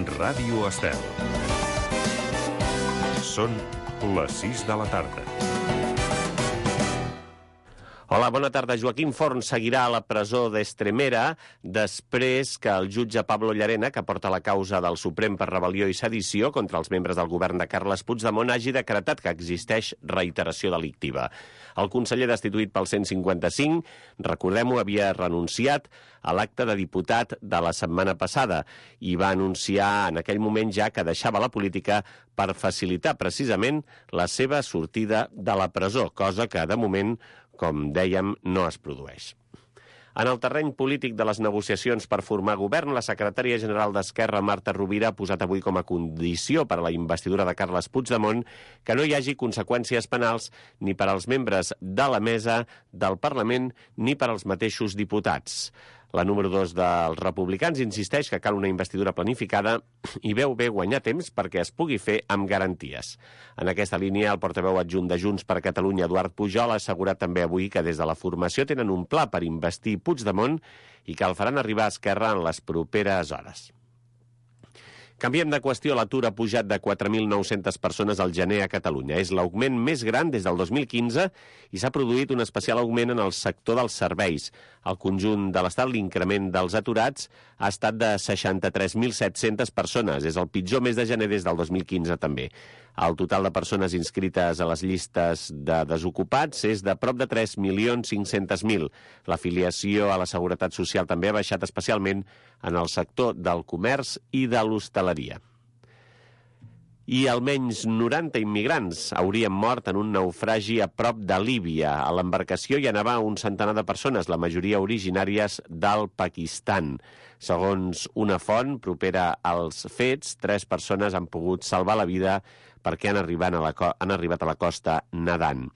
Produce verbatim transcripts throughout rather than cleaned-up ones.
Ràdio Estel. Són les sis de la tarda. Hola, bona tarda. Joaquim Forn seguirà a la presó d'Estremera després que el jutge Pablo Llarena, que porta la causa del Suprem per rebel·lió i sedició contra els membres del govern de Carles Puigdemont, hagi decretat que existeix reiteració delictiva. El conseller destituït pel cent cinquanta-cinc, recordem-ho, havia renunciat a l'acte de diputat de la setmana passada i va anunciar en aquell moment ja que deixava la política per facilitar precisament la seva sortida de la presó, cosa que de moment, com dèiem, no es produeix. En el terreny polític de les negociacions per formar govern, la secretària general d'Esquerra, Marta Rovira, ha posat avui com a condició per a la investidura de Carles Puigdemont que no hi hagi conseqüències penals ni per als membres de la mesa del Parlament ni per als mateixos diputats. La número dos dels republicans insisteix que cal una investidura planificada i veu bé guanyar temps perquè es pugui fer amb garanties. En aquesta línia, el portaveu adjunt de Junts per Catalunya, Eduard Pujol, ha assegurat també avui que des de la formació tenen un pla per investir Puigdemont i que el faran arribar a Esquerra en les properes hores. Canviem de qüestió. L'atur ha pujat de quatre mil nou-centes persones al gener a Catalunya. És l'augment més gran des del dos mil quinze i s'ha produït un especial augment en el sector dels serveis. Al conjunt de l'Estat, l'increment dels aturats ha estat de seixanta-tres mil set-centes persones. És el pitjor mes de gener des del dos mil quinze també. El total de persones inscrites a les llistes de desocupats és de prop de tres milions cinc-cents mil. L'afiliació a la Seguretat Social també ha baixat especialment en el sector del comerç i de l'hostaleria. I almenys noranta immigrants haurien mort en un naufragi a prop de Líbia. A l'embarcació hi anava un centenar de persones, la majoria originàries del Pakistan. Segons una font propera als fets, tres persones han pogut salvar la vida perquè han arribat a la, han arribat a la costa nedant.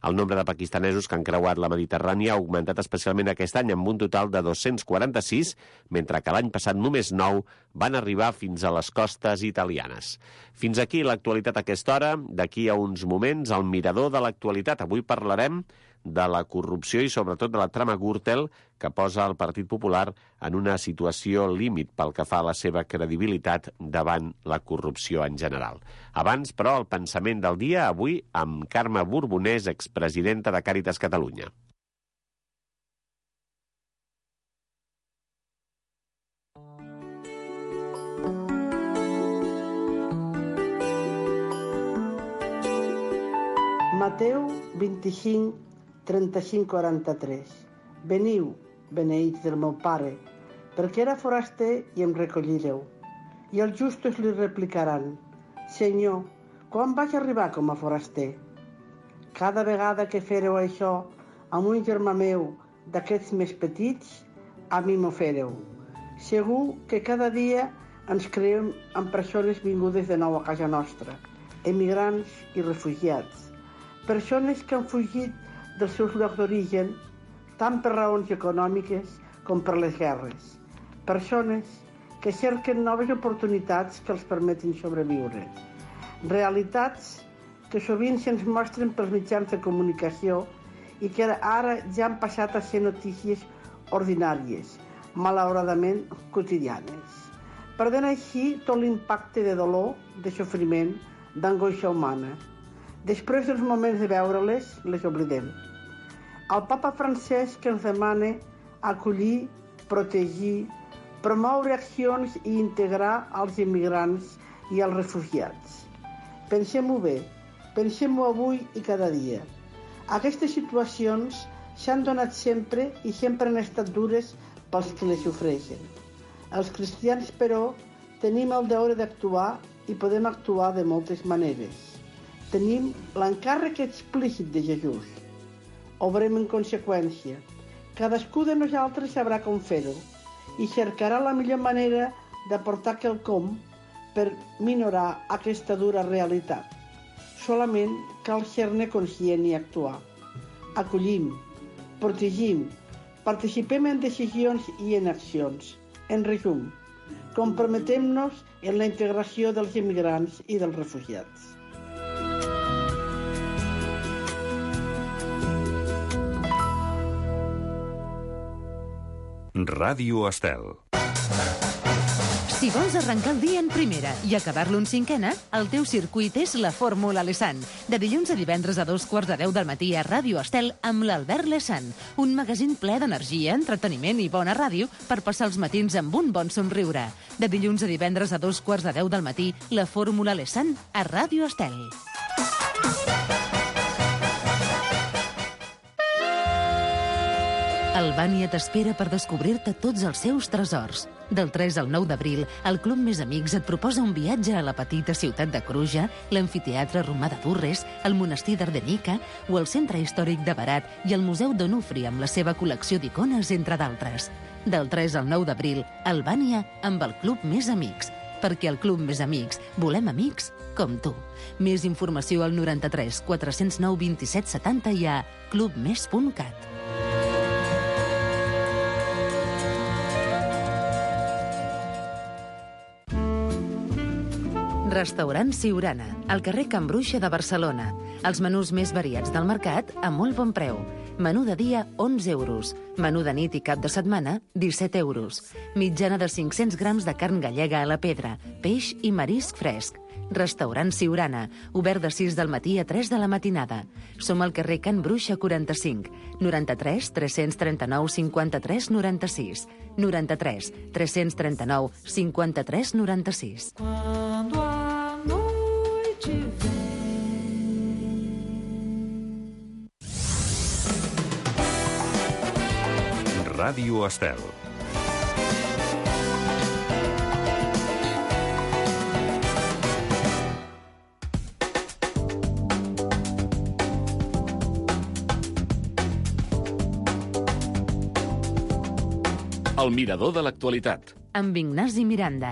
El nombre de pakistanesos que han creuat la Mediterrània ha augmentat especialment aquest any amb un total de dos-cents quaranta-sis, mentre que l'any passat només nou van arribar fins a les costes italianes. Fins aquí l'actualitat a aquesta hora. D'aquí a uns moments, el mirador de l'actualitat. Avui parlarem de la corrupció i sobretot de la trama Gürtel que posa el Partit Popular en una situació límit pel que fa a la seva credibilitat davant la corrupció en general. Abans, però, el pensament del dia, avui amb Carme Borbonès, expresidenta de Càritas Catalunya. Mateu vint-i-cinc, trenta-cinc quaranta-tres. Veniu, beneïts del meu Pare, perquè era foraster i em recollireu. I els justos li replicaran: Senyor, quan vaig arribar com a foraster? Cada vegada que fereu això amb un germà meu d'aquests més petits, a mi m'ho fereu. Segur que cada dia ens creem amb persones vingudes de nou a casa nostra, emigrants i refugiats, persones que han fugit dels seus llocs d'origen, tant per raons econòmiques com per les guerres. Persones que cerquen noves oportunitats que els permetin sobreviure. Realitats que sovint se'ns mostren pels mitjans de comunicació i que ara ja han passat a ser notícies ordinàries, malauradament quotidianes, perdent així tot l'impacte de dolor, de sofriment, d'angoixa humana. Després dels moments de veure-les, les oblidem. El papa Francesc que ens demana acollir, protegir, promoure accions i integrar els immigrants i els refugiats. Pensem-ho bé, pensem-ho avui i cada dia. Aquestes situacions s'han donat sempre i sempre han estat dures pels que les sofreixen. Els cristians, però, tenim el deure d'actuar i podem actuar de moltes maneres. Tenim l'encàrrec explícit de Jesús. Obrem en conseqüència. Cadascú de nosaltres sabrà com fer-ho i cercarà la millor manera d'aportar quelcom per minorar aquesta dura realitat. Solament cal ser-ne conscient i actuar. Acollim, protegim, participem en decisions i en accions. En resum, comprometem-nos en la integració dels immigrants i dels refugiats. Ràdio Estel. Si vols arrencar el dia en primera i acabar-lo en cinquena, el teu circuit és la Fórmula Lesan. De dilluns a divendres a dos quarts de deu del matí a Ràdio Estel amb l'Albert Lesan. Un magazín ple d'energia, entreteniment i bona ràdio per passar els matins amb un bon somriure. De dilluns a divendres a dos quarts de deu del matí, la Fórmula Lesan a Ràdio Estel. Albània t'espera per descobrir-te tots els seus tresors. Del tres al nou d'abril, el Club Més Amics et proposa un viatge a la petita ciutat de Cruja, l'amfiteatre romà de Durres, el monestir d'Ardenica o el centre històric de Berat i el Museu d'Onufri amb la seva col·lecció d'icones, entre d'altres. Del tres al nou d'abril, Albània amb el Club Més Amics. Perquè al Club Més Amics volem amics com tu. Més informació al noranta-tres quatre-cents nou vint-i-set setanta i a clubmes punt cat. Restaurant Siurana, al carrer Can Bruixa de Barcelona. Els menús més variats del mercat a molt bon preu. Menú de dia, onze euros. Menú de nit i cap de setmana, disset euros. Mitjana de cinc-cents grams de carn gallega a la pedra, peix i marisc fresc. Restaurant Siurana, obert de sis del matí a tres de la matinada. Som al carrer Can Bruixa quaranta-cinc, noranta-tres tres-cents trenta-nou cinquanta-tres noranta-sis, noranta-tres tres-cents trenta-nou cinquanta-tres noranta-sis. Ràdio Estel. El mirador de l'actualitat. Amb Ignasi Miranda.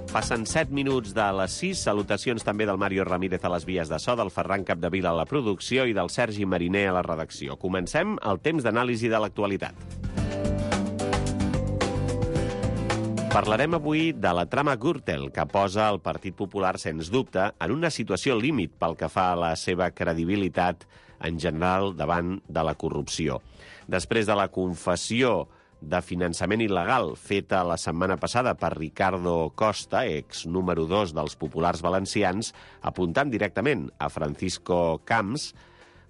Passen set minuts de les sis. Salutacions també del Mario Ramírez a les vies de so, del Ferran Capdevila a la producció i del Sergi Mariner a la redacció. Comencem el temps d'anàlisi de l'actualitat. Parlarem avui de la trama Gürtel, que posa el Partit Popular, sens dubte, en una situació límit pel que fa a la seva credibilitat en general davant de la corrupció. Després de la confessió de finançament il·legal feta la setmana passada per Ricardo Costa, ex número dos dels populars valencians, apuntant directament a Francisco Camps,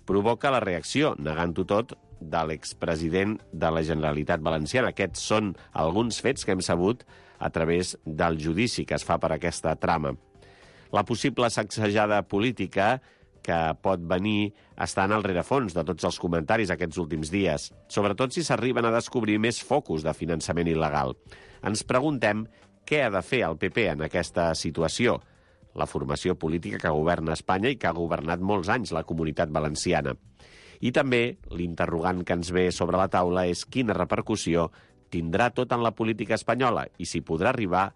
provoca la reacció, negant-ho tot, de l'expresident de la Generalitat Valenciana. Aquests són alguns fets que hem sabut a través del judici que es fa per aquesta trama. La possible sacsejada política que pot venir estant al rerefons de tots els comentaris aquests últims dies, sobretot si s'arriben a descobrir més focus de finançament il·legal. Ens preguntem què ha de fer el P P en aquesta situació, la formació política que governa Espanya i que ha governat molts anys la Comunitat Valenciana. I també l'interrogant que ens ve sobre la taula és quina repercussió tindrà tot en la política espanyola i si podrà arribar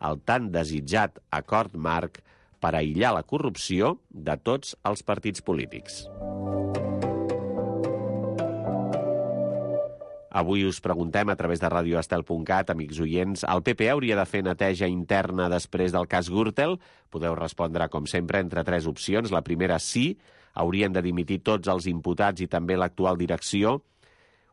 al tan desitjat acord marc per aïllar la corrupció de tots els partits polítics. Avui us preguntem a través de radioestel punt cat, amics oients, el P P hauria de fer neteja interna després del cas Gürtel? Podeu respondre, com sempre, entre tres opcions. La primera, sí, haurien de dimitir tots els imputats i també l'actual direcció.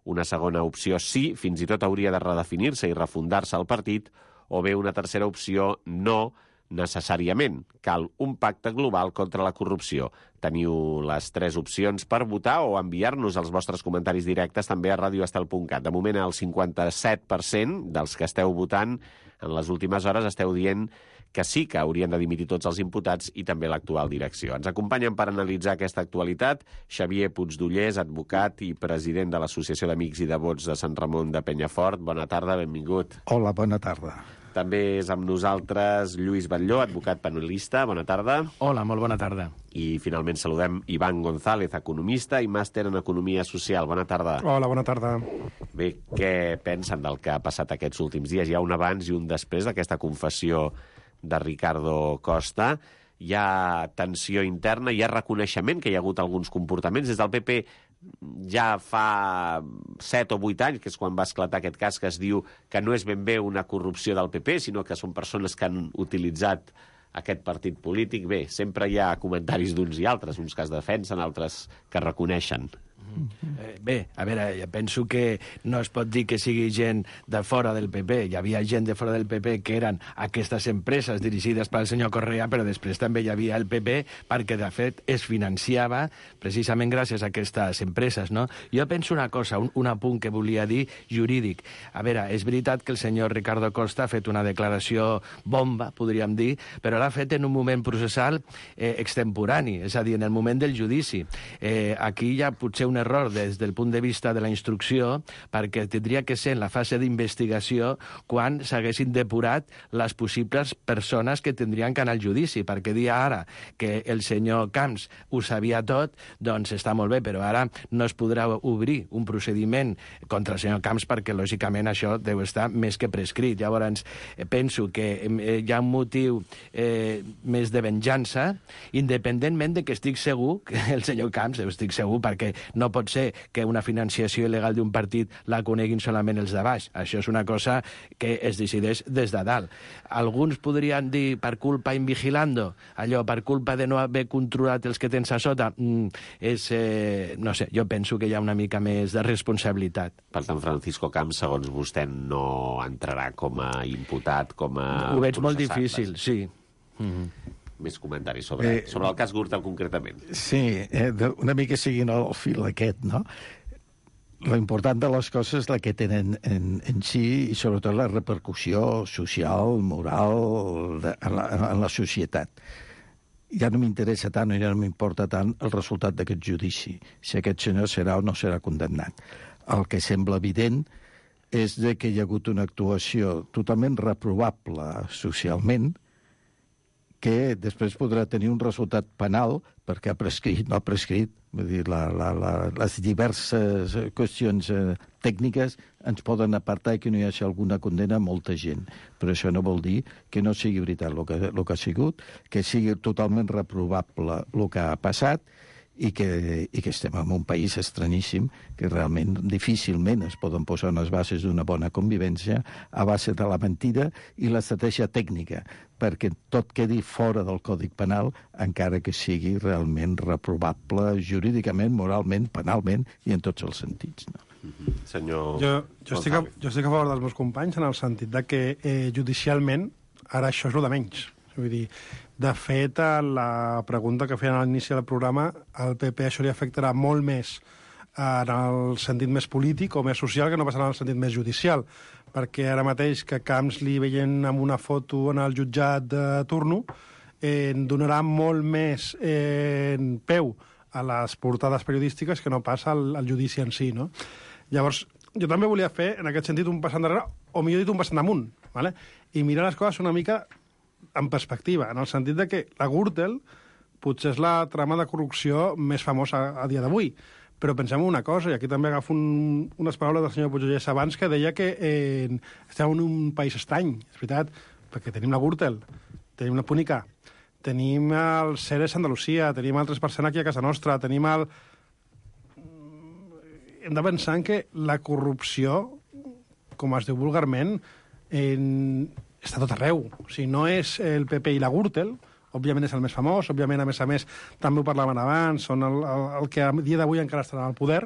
Una segona opció, sí, fins i tot hauria de redefinir-se i refundar-se el partit. O bé una tercera opció, no, necessàriament. Cal un pacte global contra la corrupció. Teniu les tres opcions per votar o enviar-nos els vostres comentaris directes també a radioestel punt cat. De moment, el cinquanta-set per cent dels que esteu votant en les últimes hores esteu dient que sí que haurien de dimitir tots els imputats i també l'actual direcció. Ens acompanyen per analitzar aquesta actualitat Xavier Puigdollers, advocat i president de l'Associació d'Amics i Devots de Sant Ramon de Penyafort. Bona tarda, benvingut. Hola, bona tarda. També és amb nosaltres Lluís Batlló, advocat penalista. Bona tarda. Hola, molt bona tarda. I finalment saludem Iván González, economista i màster en Economia Social. Bona tarda. Hola, bona tarda. Bé, què pensen del que ha passat aquests últims dies? Hi ha un abans i un després d'aquesta confessió de Ricardo Costa. Hi ha tensió interna, hi ha reconeixement que hi ha hagut alguns comportaments. Des del P P ja fa set o vuit anys, que és quan va esclatar aquest cas, que es diu que no és ben bé una corrupció del P P, sinó que són persones que han utilitzat aquest partit polític. Bé, sempre hi ha comentaris d'uns i altres, uns que es defensen, altres que reconeixen. Eh, bé, a veure, jo penso que no es pot dir que sigui gent de fora del P P. Hi havia gent de fora del P P que eren aquestes empreses dirigides pel senyor Correa, però després també hi havia el P P perquè, de fet, es financiava precisament gràcies a aquestes empreses, no? Jo penso una cosa, un, un apunt que volia dir jurídic. A veure, és veritat que el senyor Ricardo Costa ha fet una declaració bomba, podríem dir, però l'ha fet en un moment processal eh, extemporani, és a dir, en el moment del judici. Eh, aquí hi ha potser un error des del punt de vista de la instrucció, perquè tindria que ser en la fase d'investigació quan s'haguessin depurat les possibles persones que tindrien que anar al judici, perquè dir ara que el senyor Camps ho sabia tot, doncs està molt bé, però ara no es podrà obrir un procediment contra el senyor Camps perquè, lògicament, això deu estar més que prescrit. Llavors, penso que hi ha un motiu eh, més de venjança, independentment de que estic segur que el senyor Camps, estic segur, perquè no pot ser que una financiació il·legal d'un partit la coneguin solament els de baix. Això és una cosa que es decideix des de dalt. Alguns podrien dir per culpa invigilando, allò, per culpa de no haver controlat els que tens a sota. Mm, és, eh, no sé, jo penso que hi ha una mica més de responsabilitat. Per tant, Francisco Camps, segons vostè, no entrarà com a imputat, com a... Ho veig molt processat, difícil, vas. sí. Mm-hmm. Més comentaris sobre, eh, sobre el cas Gürtel concretament. Sí, eh, una mica seguint el fil aquest, no? Lo important de les coses és la que tenen en, en si i sobretot la repercussió social, moral, de, en, la, en la societat. Ja no m'interessa tant, ja no m'importa tant el resultat d'aquest judici, si aquest senyor serà o no serà condemnat. El que sembla evident és de que hi ha hagut una actuació totalment reprovable socialment, que després podrà tenir un resultat penal perquè ha prescrit, no ha prescrit. Vull dir, la, la, la, les diverses qüestions eh, tècniques ens poden apartar i que no hi hagi alguna condena a molta gent. Però això no vol dir que no sigui veritat el que, el que ha sigut, que sigui totalment reprovable el que ha passat i que, i que estem en un país estranyíssim que realment difícilment es poden posar unes bases d'una bona convivència a base de la mentida i l'estratègia tècnica, perquè tot quedi fora del Codi Penal, encara que sigui realment reprovable jurídicament, moralment, penalment i en tots els sentits. No? Mm-hmm. Senyor... Jo, jo, estic a, jo estic a favor dels meus companys en el sentit de que eh, judicialment ara això és el de menys. Vull dir, de fet, la pregunta que feien a l'inici del programa, al P P això li afectarà molt més en el sentit més polític o més social que no passarà en el sentit més judicial, perquè ara mateix que Camps li veient amb una foto en el jutjat de turno eh, donarà molt més eh, peu a les portades periodístiques que no passa al, al judici en si, no? Llavors, jo també volia fer, en aquest sentit, un pas endarrere, o millor dit, un pas damunt, ¿vale? I mirar les coses una mica en perspectiva, en el sentit de que la Gürtel potser és la trama de corrupció més famosa a, a dia d'avui. Però pensem en una cosa, i aquí també agafo un, unes paraules del senyor Puigdellés abans, que deia que eh, estem en un país estrany, és veritat, perquè tenim la Gürtel, tenim la Púnica, tenim el Ceres Andalusia, tenim el tres per cent aquí a casa nostra, tenim el... Hem de pensar en que la corrupció, com es diu vulgarment, en... està tot arreu. O sigui, no és el P P i la Gürtel, òbviament és el més famós, òbviament, a més a més, també ho parlaven abans, són el, el, el que a dia d'avui encara estarà al poder,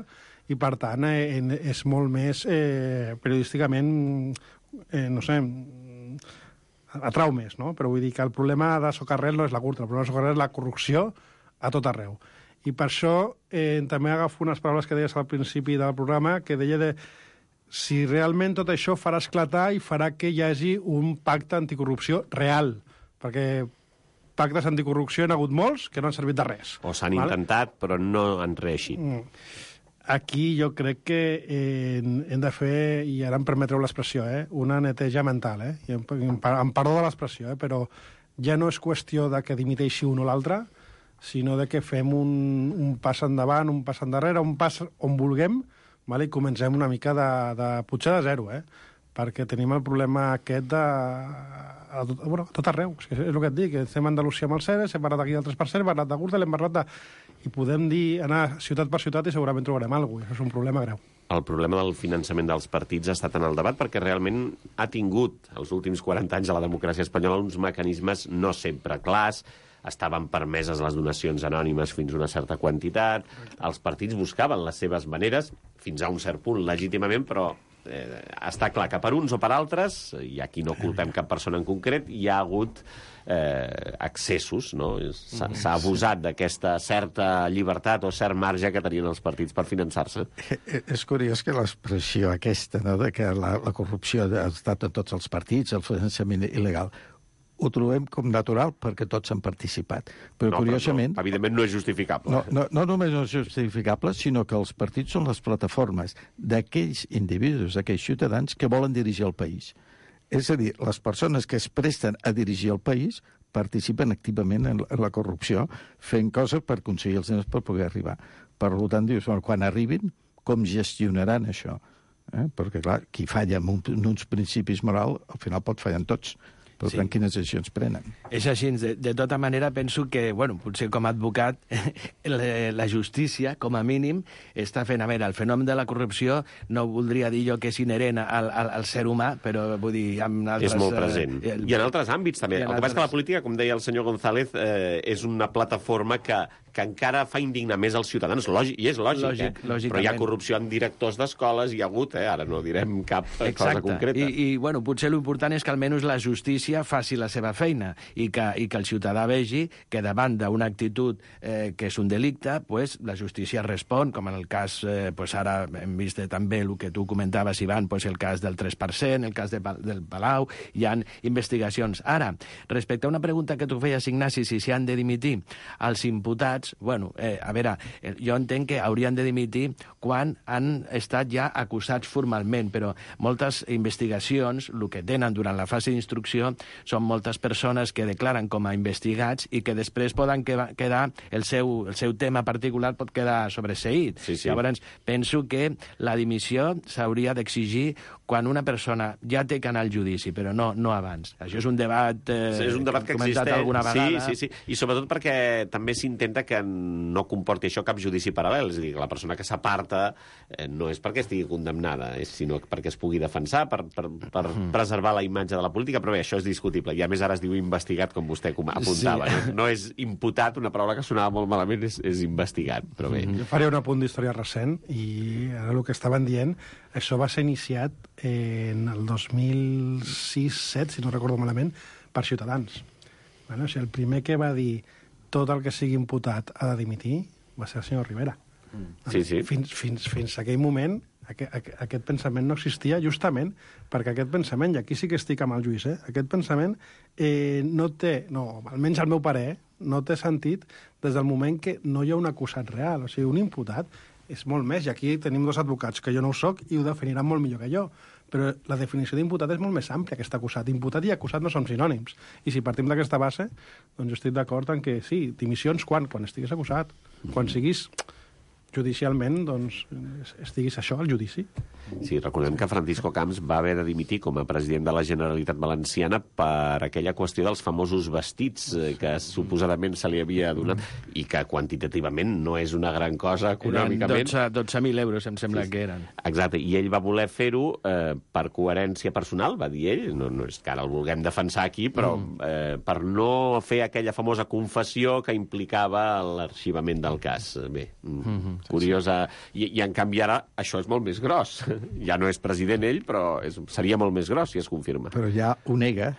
i per tant eh, és molt més eh, periodísticament, eh, no sé, atrau més, no? Però vull dir que el problema de socarrer no és la Gürtel, el problema de socarrer és la corrupció a tot arreu. I per això eh, també agafo unes paraules que deies al principi del programa, que deia de si realment tot això farà esclatar i farà que hi hagi un pacte anticorrupció real, perquè pactes anticorrupció n'ha hagut molts que no han servit de res. O s'han vale? intentat, però no han reeixit. Aquí jo crec que eh, hem de fer, i ara em permetreu l'expressió, eh, una neteja mental, eh? I em, em, em perdó de l'expressió, eh, però ja no és qüestió de que dimiteixi un o l'altre, sinó de que fem un, un pas endavant, un pas endarrere, un pas on vulguem, vale? I comencem una mica de, de potser de zero, eh? Perquè tenim el problema aquest de... A tot, bueno, a tot arreu, és, és el que et dic, estem a Andalusia amb el Ceres, hem parlat aquí del tres per cent, hem parlat de Gürtel, hem parlat de... I podem dir, anar ciutat per ciutat i segurament trobarem alguna cosa, això és un problema greu. el problema del finançament dels partits ha estat en el debat perquè realment ha tingut els últims quaranta anys a la democràcia espanyola uns mecanismes no sempre clars, estaven permeses les donacions anònimes fins a una certa quantitat, els partits buscaven les seves maneres, fins a un cert punt legítimament, però eh, està clar que per uns o per altres, i aquí no culpem cap persona en concret, hi ha hagut eh, excessos, no? S'ha abusat d'aquesta certa llibertat o cert marge que tenien els partits per finançar-se. És curiós que l'expressió aquesta, no?, de que la, la corrupció ha estat en tots els partits, el finançament il·legal, ho trobem com natural perquè tots han participat. Però, no, curiosament... Però no, evidentment no és justificable. No, no, no només no és justificable, sinó que els partits són les plataformes d'aquells individus, d'aquells ciutadans que volen dirigir el país. És a dir, les persones que es presten a dirigir el país participen activament en la corrupció, fent coses per aconseguir els diners per poder arribar. Per tant, dius, bueno, quan arribin, com gestionaran això? Eh? Perquè, clar, qui falla en, un, en uns principis morals, al final pot fallar en tots. Per tant, sí. Quines decisions prenen? És així. De, de tota manera, penso que, bueno, potser com a advocat, la, la justícia, com a mínim, està fent... A veure, el fenomen de la corrupció no voldria dir jo que és inherent al, al, al ser humà, però vull dir... En altres, és molt present. Eh, el, I en altres àmbits, també. El que altres... passa que la política, com deia el senyor González, eh, és una plataforma que, que encara fa indignar més als ciutadans, lògic, i és lògic, lògic eh? Però hi ha corrupció en directors d'escoles, hi ha hagut, eh? Ara no direm cap Exacte. cosa concreta. I, i bueno, potser l'important és que almenys la justícia faci la seva feina i que, i que el ciutadà vegi que davant d'una actitud eh, que és un delicte, pues, la justícia respon, com en el cas, eh, pues, ara hem vist també el que tu comentaves, Ivan, pues, el cas del tres per cent, el cas de, del Palau, hi ha investigacions. Ara, respecte a una pregunta que tu feies, Ignasi, si s'hi han de dimitir els imputats, bueno, eh, a veure, eh, jo entenc que haurien de dimitir quan han estat ja acusats formalment, però moltes investigacions, el que tenen durant la fase d'instrucció, són moltes persones que declaren com a investigats i que després poden quedar, el seu, el seu tema particular pot quedar sobreseït. Sí, sí. Llavors, penso que la dimissió s'hauria d'exigir quan una persona ja té que anar al judici, però no, no abans. Això és un debat, eh, sí, és un debat que, que comentat existeix. alguna vegada. Sí, sí, sí. I sobretot perquè també s'intenta que no comporti això cap judici paral·lel. És a dir, que la persona que s'aparta eh, no és perquè estigui condemnada, és, sinó perquè es pugui defensar, per, per, per mm. preservar la imatge de la política, però bé, això és discutible. I a més ara es diu investigat, com vostè apuntava. Sí. No, no és imputat, una paraula que sonava molt malament, és, és investigat, però bé. Jo faré un apunt d'història recent, i ara el que estaven dient, això va ser iniciat en el dos mil sis set, si no recordo malament, per Ciutadans. Bueno, o sigui, el primer que va dir tot el que sigui imputat ha de dimitir va ser el senyor Rivera. Sí, sí. Fins, fins, fins a aquell moment aquest, aquest pensament no existia justament perquè aquest pensament, i aquí sí que estic amb el Lluís, eh? Aquest pensament eh, no té, no, almenys al meu parer, no té sentit des del moment que no hi ha un acusat real. O sigui, un imputat és molt més, i aquí tenim dos advocats, que jo no ho soc, i ho definiran molt millor que jo. Però la definició d'imputat és molt més àmplia que està acusat. Imputat i acusat no són sinònims. I si partim d'aquesta base, doncs jo estic d'acord en que sí, dimissions quan? Quan estiguis acusat. Quan siguis judicialment, doncs, estiguis això, al judici. Sí, recordem que Francisco Camps va haver de dimitir com a president de la Generalitat Valenciana per aquella qüestió dels famosos vestits que suposadament se li havia donat i que quantitativament no és una gran cosa econòmicament. Eren dotze mil euros, em sembla sí, que eren. Exacte, i ell va voler fer-ho eh, per coherència personal, va dir ell, no, no és que ara el vulguem defensar aquí, però mm. eh, per no fer aquella famosa confessió que implicava l'arxivament del cas. Bé, mm-hmm. curiosa. I, I en canvi ara això és molt més gros. Ja no és president ell, però és, seria molt més gros si es confirma. Però ja ho nega.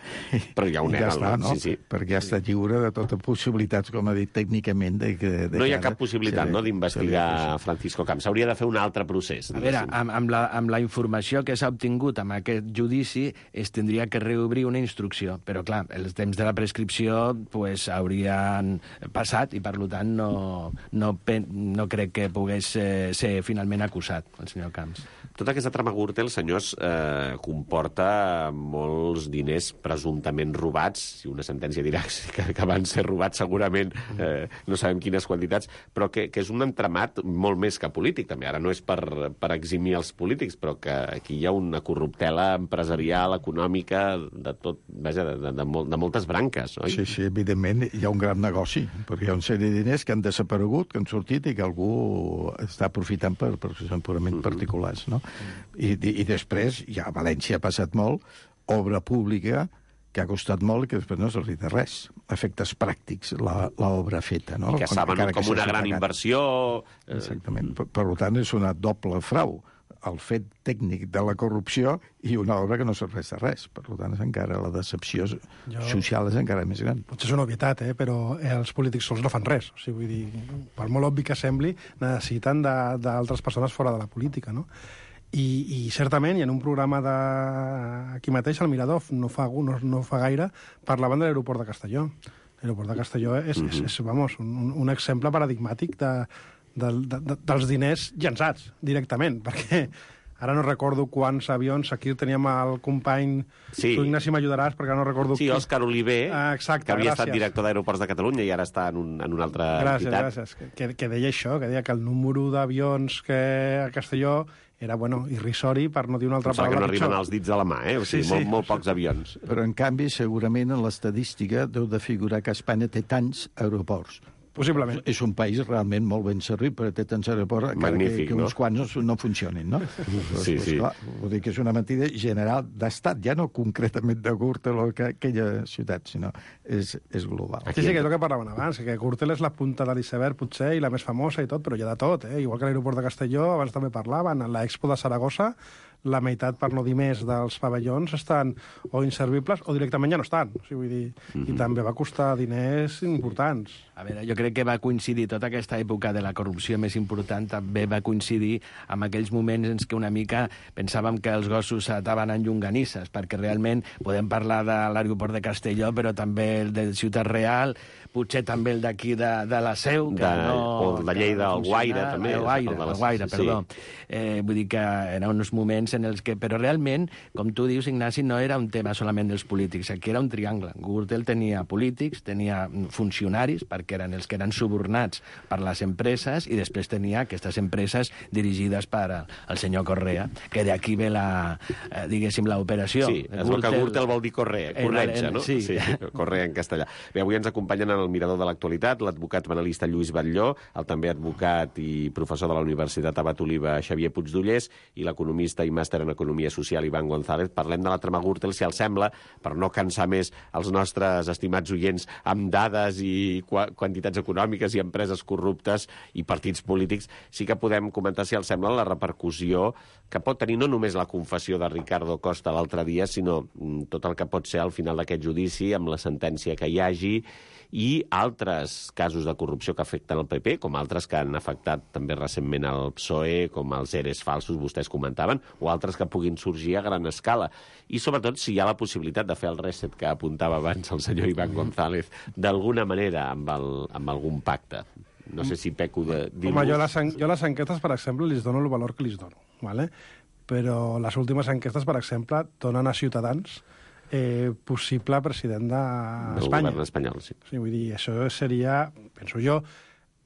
Però ja ho nega, ja està, no? Sí, sí. Perquè ja està lliure de totes possibilitats, com ha dit tècnicament. De, de, de no hi ha cap possibilitat no, d'investigar Francisco Camps. S'hauria de fer un altre procés. A veure, amb, amb, la, amb la informació que s'ha obtingut amb aquest judici es tindria que reobrir una instrucció. Però, clar, els temps de la prescripció pues, haurien passat i, per tant, no, no, no crec que pogués eh, ser finalment acusat el senyor Camps. De tota aquesta trama Gürtel, senyors, eh, comporta molts diners presumptament robats, si una sentència dirà que, que van ser robats segurament, eh, no sabem quines quantitats, però que, que és un entramat molt més que polític, també. Ara no és per, per eximir els polítics, però que aquí hi ha una corruptela empresarial, econòmica, de tot, vaja, de, de, de, mol, de moltes branques, oi? Sí, sí, evidentment hi ha un gran negoci, perquè hi ha una sèrie de diners que han desaparegut, que han sortit i que algú està aprofitant per, per que són purament mm-hmm. particulars, no? I, i, I després, ja a València ha passat molt, obra pública que ha costat molt i que després no s'ha de res. Efectes pràctics, l'obra feta, no? I que saben com, com una gran pagat. Inversió... Exactament. Per, per tant, és una doble frau. El fet tècnic de la corrupció i una obra que no serveix de res. Per tant, és encara la decepció jo... social és encara més gran. Potser és una obvietat, eh? Però els polítics sols no fan res. O sigui, vull dir, per molt obvi que sembli, necessiten d'altres persones fora de la política, no? I, i certament, i en un programa de... aquí mateix, al Mirador, no fa, no, no fa gaire, parlaven de l'aeroport de Castelló. L'aeroport de Castelló és, mm-hmm. és, és vamos, un, un exemple paradigmàtic de, de, de, de, dels diners llançats directament, perquè ara no recordo quants avions, aquí teníem el company, sí. Tu, Ignasi, m'ajudaràs, perquè no recordo... Sí, Òscar Oliver, ah, exacte, que havia gràcies. estat director d'Aeroports de Catalunya i ara està en, un, en una altra gràcies, entitat. Gràcies, gràcies. Que, que deia això, que deia que el número d'avions que a Castelló era, bueno, irrisori, per no dir una altra Em paraula. Que no pitjor. arriben als dits de la mà, eh? O sigui, sí, sí. Molt, molt pocs avions. Però, en canvi, segurament en l'estadística deu de figurar que Espanya té tants aeroports. Possiblement. És un país realment molt ben servit, però té tants aeroports Magnífic, que, que no? uns quants no, no funcionin, no? Sí, sí. Clar, vull dir que és una mentida general d'estat, ja no concretament de Gürtel o aquella ciutat, sinó és, és global. Sí, sí, que és el que parlaven abans, que Gürtel és la punta de l'iceberg, potser, i la més famosa i tot, però hi ha de tot, eh? Igual que l'aeroport de Castelló, abans també parlaven, en l'Expo de Saragossa, la meitat, per no dir més, dels pavellons estan o inservibles o directament ja no estan. O sigui, vull dir, mm-hmm. I també va costar diners importants. A veure, jo crec que va coincidir tota aquesta època de la corrupció més important, també va coincidir amb aquells moments en què una mica pensàvem que els gossos s'ataven en llonganisses, perquè realment podem parlar de l'aeroport de Castelló, però també el de Ciutat Real, potser també el d'aquí de, de la Seu, que de, no... O el de Lleida, el Guaire, també. El Guaire, el, el, el Guaire, perdó. Sí. Eh, vull dir que eren uns moments en els que... Però realment, com tu dius, Ignasi, no era un tema solament dels polítics, aquí era un triangle. Gürtel tenia polítics, tenia funcionaris, perquè eren els que eren subornats per les empreses, i després tenia aquestes empreses dirigides per el senyor Correa, que d'aquí ve la, eh, diguéssim, l'operació. Sí, es veu que Gürtel vol dir Correa, corretja, no? Sí. sí. Correa en castellà. Bé, avui ens acompanyen en el Mirador de l'Actualitat l'advocat penalista Lluís Batlló, el també advocat i professor de la Universitat Abat Oliva Xavier Puigdollers i l'economista i màster en Economia Social Iván González. Parlem de la trama Gürtel, si els sembla, per no cansar més els nostres estimats oients amb dades i qu quantitats econòmiques i empreses corruptes i partits polítics, sí que podem comentar, si els sembla, la repercussió que pot tenir no només la confessió de Ricardo Costa l'altre dia, sinó tot el que pot ser al final d'aquest judici, amb la sentència que hi hagi, i altres casos de corrupció que afecten el P P, com altres que han afectat també recentment el P S O E, com els eres falsos, vostès comentaven, o altres que puguin sorgir a gran escala. I sobretot si hi ha la possibilitat de fer el reset que apuntava abans el senyor Iván González, d'alguna manera amb, el, amb algun pacte. No sé si peco de dir-vos... Home, jo les, jo les enquestes, per exemple, li dono el valor que li dono, ¿vale? Però les últimes enquestes, per exemple, donen a Ciutadans eh, possible president d'Espanya. Del govern espanyol, sí. Sí. Vull dir, això seria, penso jo,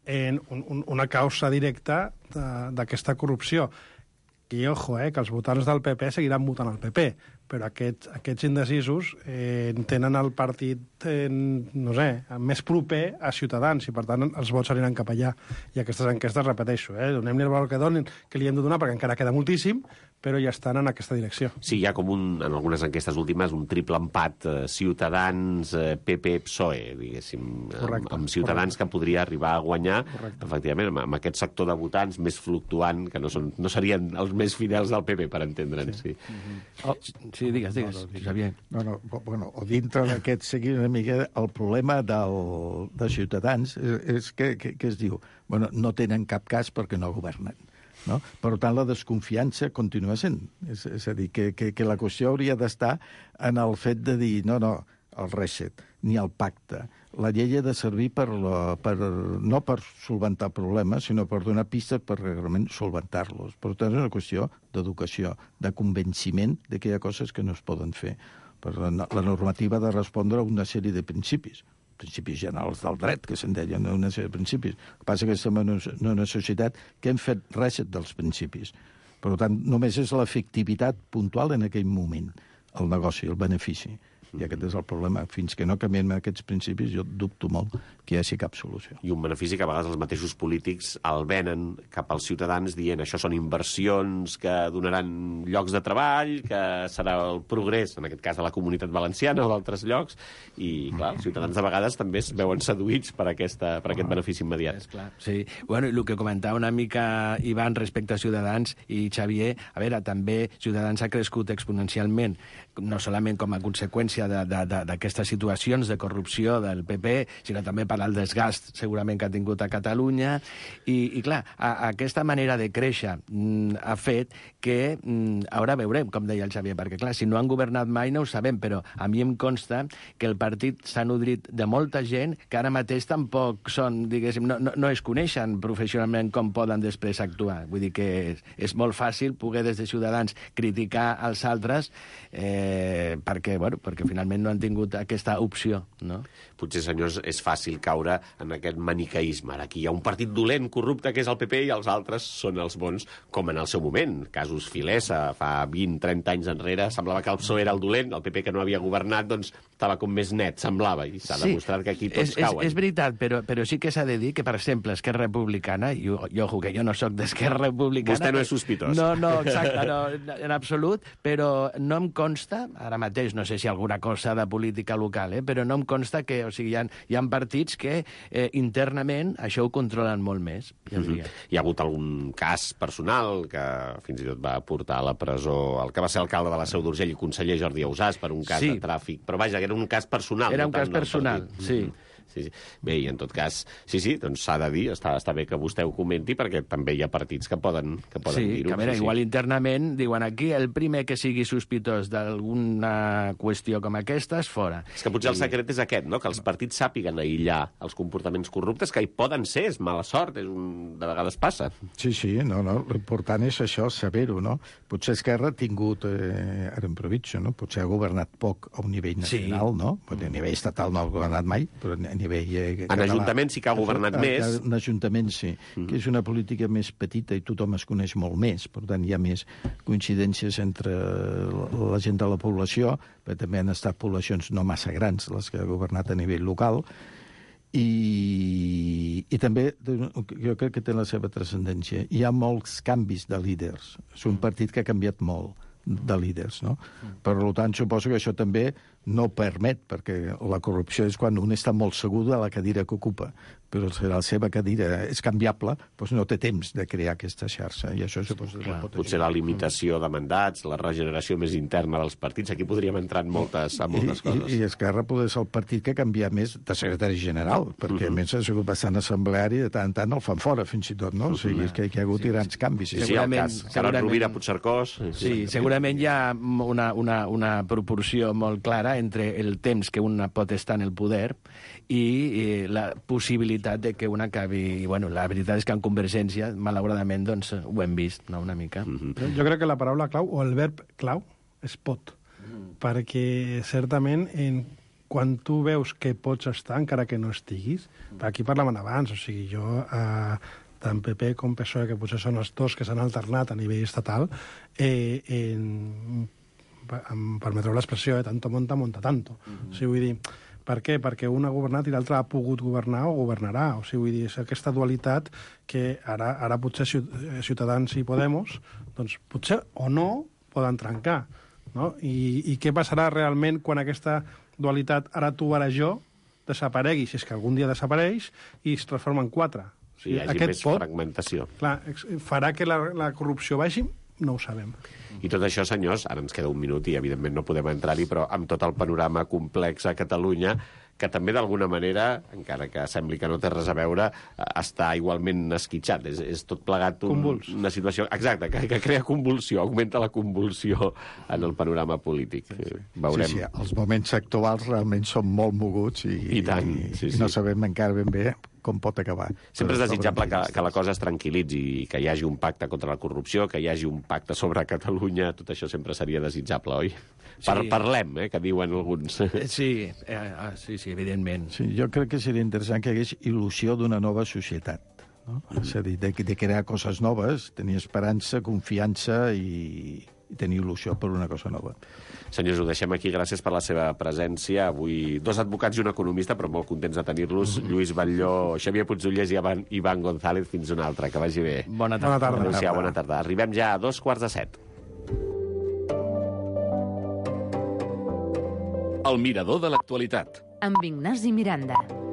en un, un, una causa directa d'aquesta corrupció. I, ojo, eh, que els votants del P P seguiran votant al P P, però aquests, aquests indecisos eh, tenen el partit, eh, no sé, més proper a Ciutadans, i per tant els vots aniran cap allà. I aquestes enquestes, repeteixo, eh, donem-li el valor que donin, que li hem de donar, perquè encara queda moltíssim, però ja estan en aquesta direcció. Sí, hi ha com un, en algunes enquestes últimes, un triple empat eh, Ciutadans, eh, P P, P S O E, diguéssim, correcte, amb, amb Ciutadans correcte. Que podria arribar a guanyar, correcte. Efectivament, amb, amb aquest sector de votants més fluctuant, que no, són, no serien els més fidels del P P, per entendre'ns. Sí. Sí. Mm-hmm. oh, sí, digues, digues, no, no, Xavier. No, no, bueno, o dintre d'aquest seguir una mica el problema del, de Ciutadans és, és que, que, que es diu, bueno, no tenen cap cas perquè no governen. No? Per tant, la desconfiança continua sent. És, és a dir, que, que, que la qüestió hauria d'estar en el fet de dir, no, no, el reset. ni el pacte. La llei ha de servir per la, per, no per solventar problemes, sinó per donar pistes per realment solventar-los. Per tant, és una qüestió d'educació, de convenciment de que hi ha coses que no es poden fer. Per la, la normativa ha de respondre a una sèrie de principis, principis generals del dret, que se'n deien una sèrie de principis. El que passa és que estem en una societat que hem fet reset dels principis. Per tant, només és l'efectivitat puntual en aquell moment, el negoci, el benefici. I aquest és el problema. Fins que no canviem aquests principis, jo dubto molt que hi hagi cap solució. I un benefici que a vegades els mateixos polítics el venen cap als ciutadans dient això són inversions que donaran llocs de treball, que serà el progrés, en aquest cas de la Comunitat Valenciana o d'altres llocs, i clar, els ciutadans de vegades també es veuen seduïts per, aquesta, per aquest benefici immediat. És clar, sí. Bueno, i el que comentava una mica Ivan respecte a Ciutadans i Xavier, a veure, també Ciutadans ha crescut exponencialment, no solament com a conseqüència d'aquestes situacions de corrupció del P P, sinó també per al desgast segurament que ha tingut a Catalunya. I, i clar, a, a aquesta manera de créixer mm, ha fet que mm, ara veurem, com deia el Xavier, perquè clar, si no han governat mai no ho sabem, però a mi em consta que el partit s'ha nodrit de molta gent que ara mateix tampoc són, diguéssim, no, no, no es coneixen professionalment com poden després actuar. Vull dir que és, és molt fàcil poder des de Ciutadans criticar als altres eh, perquè, bueno, perquè finalment no han tingut aquesta opció, no? Potser, senyors, és fàcil caure en aquest maniqueisme. Ara aquí hi ha un partit dolent, corrupte, que és el P P, i els altres són els bons, com en el seu moment. Casos Filesa, fa vint trenta anys enrere, semblava que el P S O E era el dolent, el P P, que no havia governat, doncs estava com més net, semblava, i s'ha sí, demostrat que aquí tots és, cauen. És, és veritat, però, però sí que s'ha de dir que, per exemple, Esquerra Republicana, i, i ojo, que jo no sóc d'Esquerra Republicana... Vostè no és sospitós. No, no, exacte, no, en absolut, però no em consta, ara mateix, no sé si alguna cosa de política local, eh? Però no em consta que, o sigui, hi ha, hi ha partits que eh, internament això ho controlen molt més. Ja mm-hmm. Hi ha hagut algun cas personal que fins i tot va portar a la presó el que va ser alcalde de la Seu d'Urgell i conseller Jordi Ausàs per un cas sí. de tràfic. Però vaja, era un cas personal. Era no un cas personal, sí. Mm-hmm. Sí, sí. Bé, i en tot cas, sí, sí, doncs s'ha de dir, està, està bé que vostè ho comenti, perquè també hi ha partits que poden, que poden sí, dir-ho. Que a veure, sí, igual sí. internament diuen aquí el primer que sigui sospitós d'alguna qüestió com aquesta és fora. És que potser I... el secret és aquest, no? Que els partits sàpiguen aïllar els comportaments corruptes, que hi poden ser, és mala sort, és un... de vegades passa. Sí, sí, no, no, l'important és això, saber-ho, no? Potser Esquerra ha tingut, eh, ara improviso, no? Potser ha governat poc a un nivell nacional, sí. no? Perquè a nivell estatal no ha governat mai, però a nivell... Eh, en Ajuntament sí que ha governat a, més. En Ajuntament sí, mm. que és una política més petita i tothom es coneix molt més, per tant hi ha més coincidències entre la gent de la població, però també han estat poblacions no massa grans, les que ha governat a nivell local, i, i també jo crec que té la seva transcendència. Hi ha molts canvis de líders. És un partit que ha canviat molt de líders, no? Per tant, suposo que això també no permet, perquè la corrupció és quan un està molt segur de la cadira que ocupa, però si la seva cadira és canviable, doncs no té temps de crear aquesta xarxa, i això suposo que pot potser la limitació de mandats, la regeneració més interna dels partits, aquí podríem entrar en moltes, en moltes I, coses. I, I Esquerra poder ser el partit que canvia més de secretari general, perquè uh -huh. a més ha sigut bastant assembleari, de tant en tant el fan fora, fins i tot, no? O sigui, és que hi ha hagut sí, grans canvis. Sí, sí, el cas Carod Rovira, Puigcercós... Sí, sí, segurament hi ha una, una, una proporció molt clara entre el temps que una pot estar en el poder i, i la possibilitat de que una acabi... I, bueno, la veritat és que en Convergència, malauradament, doncs, ho hem vist, no?, una mica. Mm-hmm. Jo crec que la paraula clau, o el verb clau, és pot. Mm. Perquè, certament, en, quan tu veus que pots estar, encara que no estiguis, aquí parlaven abans, o sigui, jo... Eh, tant P P com P S O E, que potser són els dos que s'han alternat a nivell estatal, eh, en, em permetreu l'expressió, eh, tanto monta, monta tanto. Mm-hmm. O sigui, vull dir, per què? Perquè un ha governat i l'altre ha pogut governar o governarà. O sigui, vull dir, és aquesta dualitat que ara, ara potser Ciutadans i Podemos, doncs potser o no poden trencar. No? I, I què passarà realment quan aquesta dualitat, ara tu, ara jo, desaparegui, si és que algun dia desapareix, i es transforma en quatre? Sí, hi hagi Aquest més pot, fragmentació. Clar, farà que la, la corrupció vagi? No ho sabem. I tot això, senyors, ara ens queda un minut i evidentment no podem entrar-hi, però amb tot el panorama complex a Catalunya, que també d'alguna manera, encara que sembli que no té res a veure, està igualment esquitxat. És, és tot plegat un, una situació... Exacte, que, que crea convulsió, augmenta la convulsió en el panorama polític. Veurem. Sí, sí, els moments actuals realment són molt moguts i, I, tant, sí, i sí. no sabem encara ben bé com pot acabar. Sempre és desitjable que, que la cosa es tranquil·litzi i que hi hagi un pacte contra la corrupció, que hi hagi un pacte sobre Catalunya, tot això sempre seria desitjable, oi? Sí. Par parlem, eh, que diuen alguns. Sí, eh, sí, sí, evidentment. Sí, jo crec que seria interessant que hi hagués il·lusió d'una nova societat. No? Mm. És a dir, de, de crear coses noves, tenir esperança, confiança i, i tenir il·lusió per una cosa nova. Senyors, ho deixem aquí. Gràcies per la seva presència. Avui dos advocats i un economista, però molt contents de tenir-los. Mm -hmm. Lluís Batlló, Xavier Puigdollers i Ivan, Ivan González. Fins una altra. Que vagi bé. Bona tarda. Bona tarda. Adéu-siau, bona tarda. Arribem ja a dos quarts de set. El mirador de l'actualitat. Amb Ignasi Miranda.